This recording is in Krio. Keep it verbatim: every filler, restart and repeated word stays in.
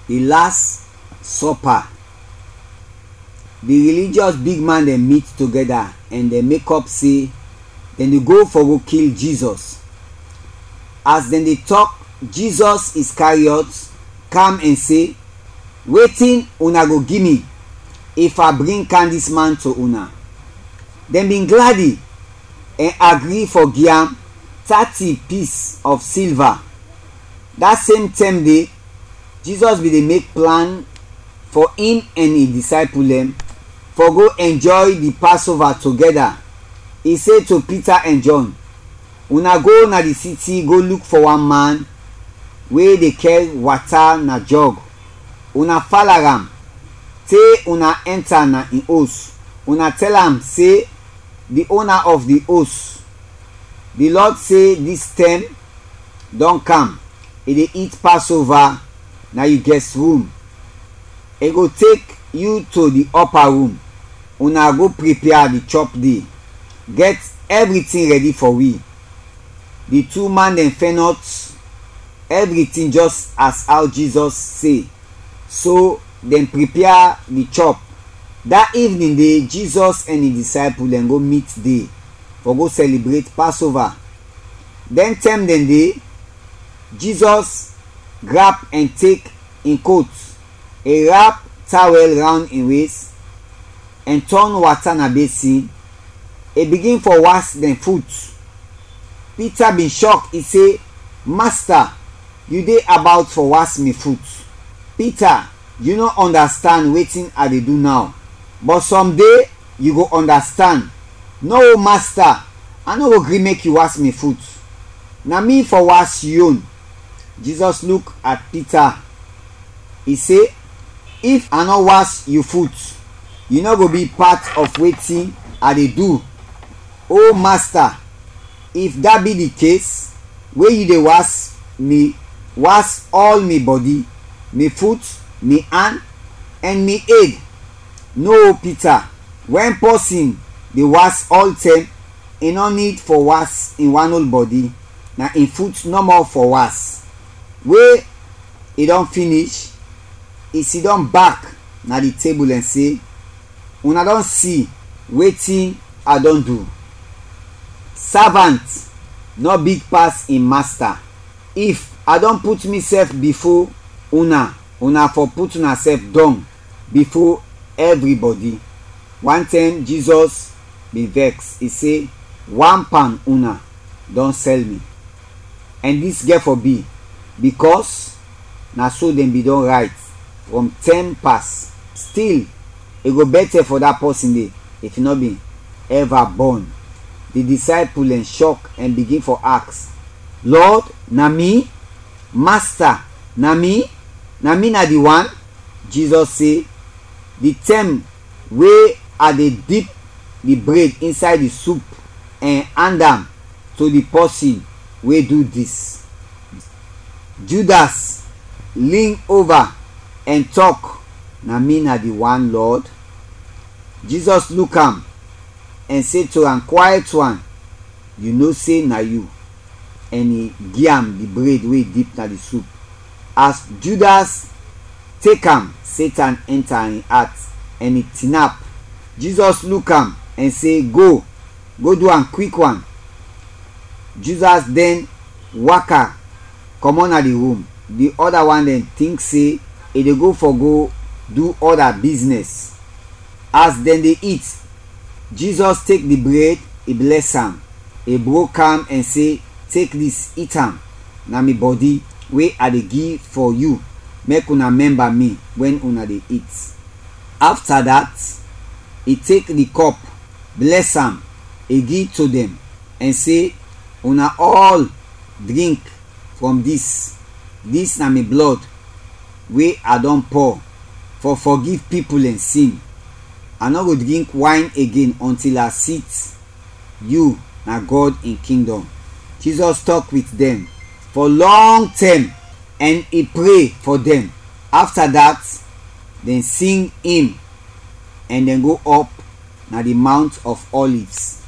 Di Las Sɔpa. Di religious bigman dɛn mit togɛda ɛn dɛn mekɔp se dɛn de go fɔ go kil Jizɔs. As dɛn de tɔk, Jizɔs Iskariɔt kam ɛn se, "Wetin una go gi mi if a bring kam dis man to una?" Dɛn bin gladi ɛn agri fɔ gi am tati pis of silva. Da sem tɛm de, Jizɔs bin de mek plan fɔ in ɛn in disaipul dɛn fɔ go ɛnjɔy di Pasova togɛda. I se to Pita ɛn Jɔn, "Una go na di siti go luk fɔ wan man we de kɛr wata na jɔg. Una fala am te una ɛnta na in os. Una tɛl am se, 'Di ona of di os, di Lɔd se dis tɛm dɔn kam, i de it Pasova na yu gɛst rum. I go tek yu to di ɔpa rum, una go pripia di chɔp de, gɛt ɛvritin rɛdi fɔ wi.'" Di tu man dɛn fɛnɔt ɛvritin jɛs as aw Jizɔs se, so dɛn pripia di chɔp. Da ivnin de, Jizɔs ɛn in disaipul dɛn go mit de fɔ go sɛlibret Pasova. Dɛn tɛm dɛn de, Jizɔs grap ɛn tek in kot, i rap tawɛl rawnd in wes, ɛn tɔn wata na besin, i bigin fɔ was dɛn fut. Pita bin shɔk, i se, "Masta, yu de abawt fɔ was mi fut? Pita, yu nɔ ɔndastand wetin a de du naw, bɔt sɔm de yu go ɔndastand. Nɔ, o Masta, a nɔ go gri mek yu was mi fut. Na mi fɔ was yu yon." Jizɔs luk at Pita, i se, "If a nɔ was yu fut, yu nɔ go bi pat of wetin a de du." "O Masta, if dat bi di kes, we yu de was mi, was ɔl mi bɔdi, mi fut, mi an, ɛn mi ed." No, Pita, wɛn pɔsin de was ɔltɛm, i nɔ nid fɔ was in wan ol bɔdi, na in fut nɔmɔ fɔ was. We i dɔn finish, i sidɔm bak na di tebul ɛn se, "Una dɔn si wetin a dɔn du. Savant nɔ big pas in masta. If a dɔn put misɛf bifo una, una fɔ put unasɛf dɔng bifo ɛvribɔdi." Wantɛm Jizɔs bin vɛks, i se, "Wan pan una dɔn sɛl mi. Ɛn dis gɛt fɔ bi, bikɔs na so dɛn bin dɔn rayt frɔm tɛm pas. Stil, i go bɛtɛ fɔ da pɔsin de if i nɔ bin ɛva bɔn." Di disaipul dɛn shɔk ɛn bigin fɔ aks, "Lɔd, na mi? Masta, na mi? Na mi na di wan?" Jizɔs se, "Di tɛm we a de dip di bred insay di sup ɛn and am to di pɔsin we du dis." Judas lin ova ɛn tɔk, "Na mi na di wan, Lɔd." Jizɔs luk am ɛn se to am, "Kwayɛt wan, yu no se na yu." Ɛn i gi am di bred we i dip na di sup. As Judas tek am, Setan ɛnta in at ɛn i tinap. Jizɔs luk am ɛn se, "Go, go du am kwikwan." Judas dɛn waka kɔmɔt na di rum. Di ɔda wan dɛn tink se i de go fɔ go du ɔda biznɛs. As dɛn de it, Jizɔs tek di bred, i blɛs am, i brok am ɛn se, "Tek dis, it am, na mi bɔdi we a de gi fɔ yu, mek una mɛmba mi wɛn una de it." Afta dat, i tek di kɔp, blɛs am, i gi to dɛn, ɛn se, "Una ɔl drink frɔm dis. Dis na mi blɔd we a dɔn pɔ fɔ fɔgiv pipul dɛn sin. A nɔ go drink wayn igen ɔntil a sit yu na Gɔd in kingdɔm." Jizɔs tɔk wit dɛn fɔ lɔng tɛm ɛn i pre fɔ dɛn. Afta dat, dɛn sing im ɛn dɛn go ɔp na di Mount of Olives.